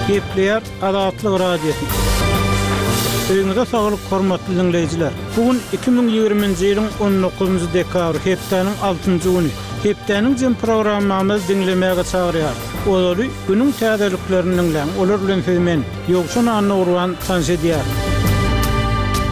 Gepleýär Azatlyk Radiosy. Öýüňize saglyk hormatly diňleýjiler! Bu gün 2020-nji ýylyň 19-njy dekabry, hepdäniň altynjy güni. Hepdäniň jem programmamyzy diňlemäge çagyrýarys. Ozaly günüň täzeliklerini diňläň, olar bilen sizi men, Ýowşan Annagurban tanyş edýärin.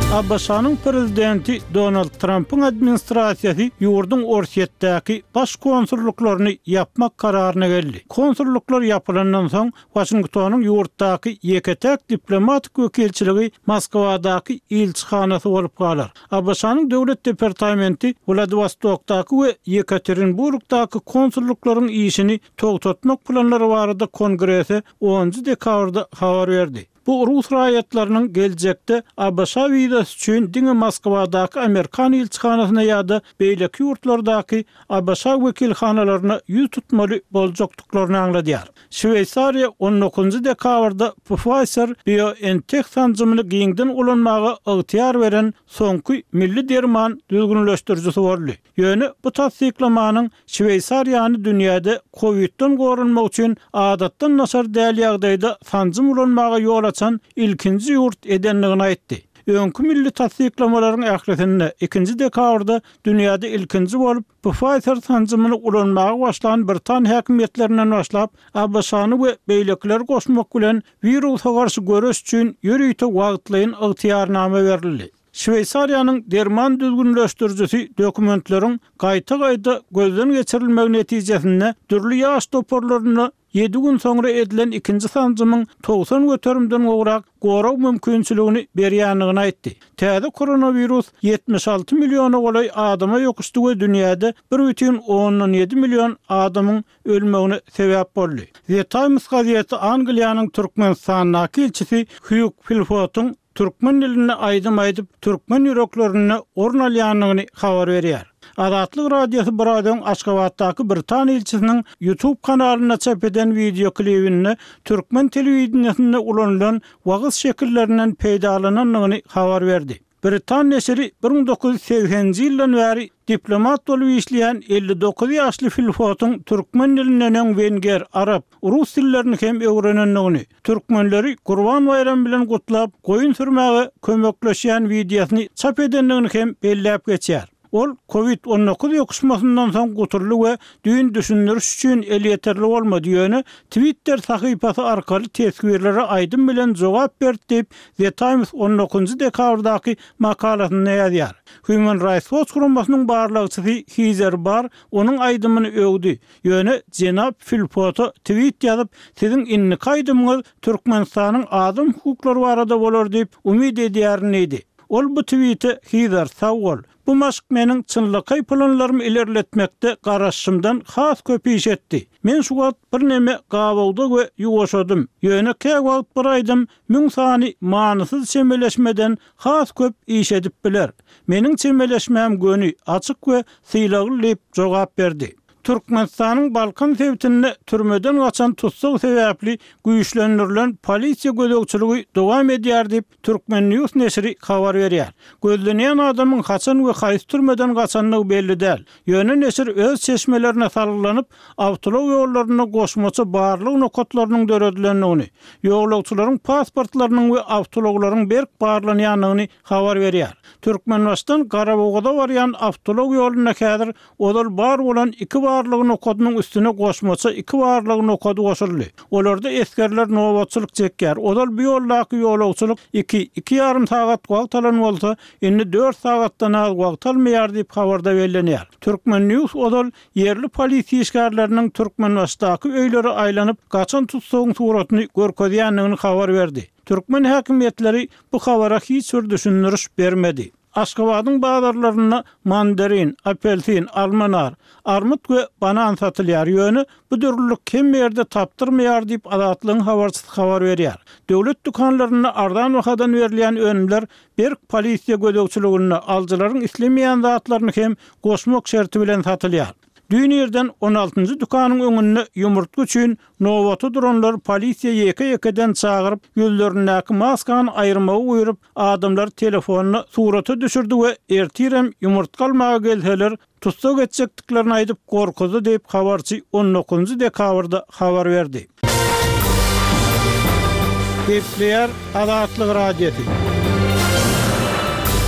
ABŞ-nyň prezidenti Donald Trampyň administrasiýasy ýurduň Orsýetdäki baş konsullyklaryny ýapmak kararyna geldi. Konsullyklar ýapylandan soň, Waşingtonyň ýurtdaky ýeke-täk diplomatik wekilçiligi Moskwadaky ilçihanasy bolup galar. ABŞ-nyň Döwlet departamenti Wladiwostokdaky we Ýekaterinburgdaky konsullyklaryň işini togtatmak planlary barada Kongrese onunjy dekabrda habar berdi. Bu rus raýatlarynyň geljekde ABŞ wizasy üçin diňe Moskwadaky amerikan ilçihanasyna ýa-da beýleki ýurtlardaky ABŞ wekilhanalaryna ýüz tutmaly boljakdyklaryny aňladýar. Şweýsariýa on dokuzynjy dekabrda Pfizer-BioNTech sanjymyny giňden ulanmaga ygtyýar beren soňky milli derman düzgünleşdirijisi boldy. Ýöne bu tassyklamanyň Şweýsariýany dünýäde kowidden goranmak üçin adatdan daşary däl ýagdaýda sanjym ulanmaga ýol açan ilkinji ýurt edendigini aýtdy. Öňki milli tassyklamalaryň ählisinde ikinji dekabrda dünýäde ilkinji bolup Pfizer sanjymyny ulanmaga başlan britan häkimiýetlerinden başlap, ABŞ-ny we beýlekileri goşmak bilen wirusa garşy göreş üçin ýörite wagtlaýyn ygtyýarnama berildi. Şweýsariýanyň derman düzgünleşdirijisi dokumentleriň gaýta-gaýta gözden geçirilmegi netijesinde dürli ýaş toparlarynda Ýedi gün soňra edilen ikinji sanjymyň 90 göterimden gowrak gorag mümkinçiligini berýändigini aýtdy. Täze koronawirus 76 milliona golaý adama ýokuşdy we dünýäde 1,7 million adamyň ölmegine sebäp boldy. The Times gazeti Angliýanyň Türkmenistandaky ilçisi Hýug Filfotyň türkmen dilinde aýdym aýdyp, türkmen ýüreklerinde orun alýandygyny habar berýär. Azatlyk Radiosy biraz öň Aşgabatdaky britan ilçisiniň YouTube kanalynda çap eden wideoklibinde türkmen telewideniýesinde ulanylan wagyz şekillerinden peýdalanandygyny habar berdi. Britan neşiri 1980-nji ýyldan bäri diplomat bolup işleýän 59 ýaşly Filfotyň türkmen dilinden öň wenger, arap, rus dillerini hem öwrenendigini, türkmenleri Gurban baýramy bilen gutlap, goýun sürmäge kömekleşýän wideosyny çap edendigini hem belläp geçýär. Ol Covid 19 ýokuşmasyndan soň gutuldy we düýn düşündiriş üçin elýeterli bolmady, ýöne Twitter sahypasy arkaly teswirlere aýdym bilen jogap berdi diýip, The Times on dokuzynjy dekabrdaky makalasynda ýazýar. Human Rights Watch guramasynyň barlagçysy Hizer Barr onuň aýdymyny öwdi, Ýöne jenap Filpota twit ýazyp, siziň indiki aýdymyňyz Türkmenistanyň adam hukuklary barada bolar diýip umyt edýärin diýdi. Ol bu twite Hizer, sag bol. Bu maşk meniň çynlakaý planlarymy ilerletmekde garaşşymdan has köp iş etdi. Men şu wagt birneme gabawda we ýuwaşadym. Ýöne käwagt bir aýdym Müň sany manysyz çemeleşmeden has köp iş edip biler. Meniň çemeleşmäm göni, açyk we sylagly diýip jogap berdi. Türkmenistanyň Balkan sebitinde türmeden gaçan tussag sebäpli güýçlendirilen polisiýa gözegçiligi dowam edýär diýip, Turkmen. News neşiri habar berýär. Gözlenýän adamyň haçan we haýsy türmeden gaçandygy belli däl. Ýöne neşir öz çeşmelerine salgylanyp, awtoulag ýollarynda goşmaça barlag nokatlarynyň döredilendigini, ýolagçylaryň pasportlarynyň we awtoulaglaryň berk barlanýandygyny habar berýär. Türkmenbaşydan Garabogaza barýan awtoulag ýolunda häzir ozal bar bolan iki barlag nokadynyň üstüne goşmaça iki barlag nokady goşuldy. Olarda esgerler nobatçylyk çekýär. Ozal bu ýoldaky ýolagçylyk iki, iki ýarym sagat wagt alan bolsa, indi dört sagatdan az wagt almaýar diýip, habarda bellenýär. Turkmen. News ozal ýerli polisiýa işgärleriniň Türkmenbaşydaky öýlere aýlanyp, gaçan tussagyň suratyny görkezýändigini habar berdi. Türkmen häkimiýetleri bu habara hiç bir düşündiriş bermedi. Aşgabadyň bazarlarynda mandarin, apelsin, alma nar, armyt we banan satylýar, ýöne bu dürlülik hemme ýerde tapdyrmaýar diýip, Azatlygyň habarçysy habar berýär. Döwlet dükanlarynda arzan bahadan berilýän önümler berk polisiýa gözegçiliginde, alyjylaryň islemeýän zatlaryny hem goşmak şerti bilen satylýar. Düýn irden on altynjy dükanyň öňünde ýumurtga üçin nobata duranlary polisiýa ýeke-ýekeden çagyryp, ýüzlerindäki maskany aýyrmagy buýrup, adamlary telefonda surata düşürdi we ertirem ýumurtga almaga gelseler, tussag etjekdiklerini aýdyp gorkuzdy diýip, habarçy on dokuzynjy dekabrda habar berdi. Gepleýär Azatlyk Radiosy.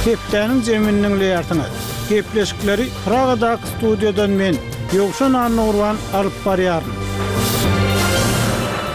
Hepdäniň jemini diňleýärsiňiz. Gepleşikleri Pragadaky studiýadan men, Ýowşan Annagurban alyp barýaryn.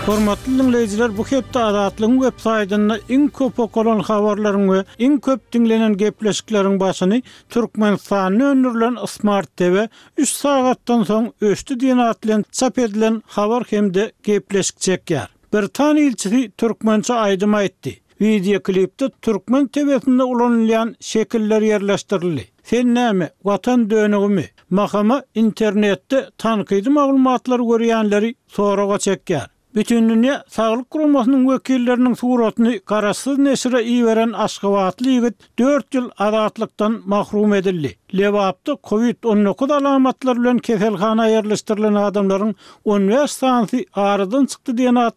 Hormatly diňleýjiler, bu hepde Azatlygyň web saýtynda iň köp okalan habarlaryň we iň köp diňlenen gepleşikleriň başyny Türkmenistanda öndürilen Smart TV üç sagatdan soň öçdi diýen at bilen çap edilen habar hem-de gepleşik çekýär. Britan ilçisi türkmençe aýdym aýtdy. Wideoklipde türkmen TW-sinde ulanylýan şekiller ýerleşdirildi. Sen näme, Watan dönügimi? Mahama internetde tankydy maglumatlary görýänleri soraga çekýär. Bütindünýä Saglyk Guramasynyň wekilleriniň suratyny garaşsyz neşire iberen aşgabatly ýigit dört ýyl azatlykdan mahrum edildi. Lebapda Covid 19 alamatlary bilen keselhana ýerleşdirilen adamlaryň on bäş sanysy aradan çykdy diýen atly.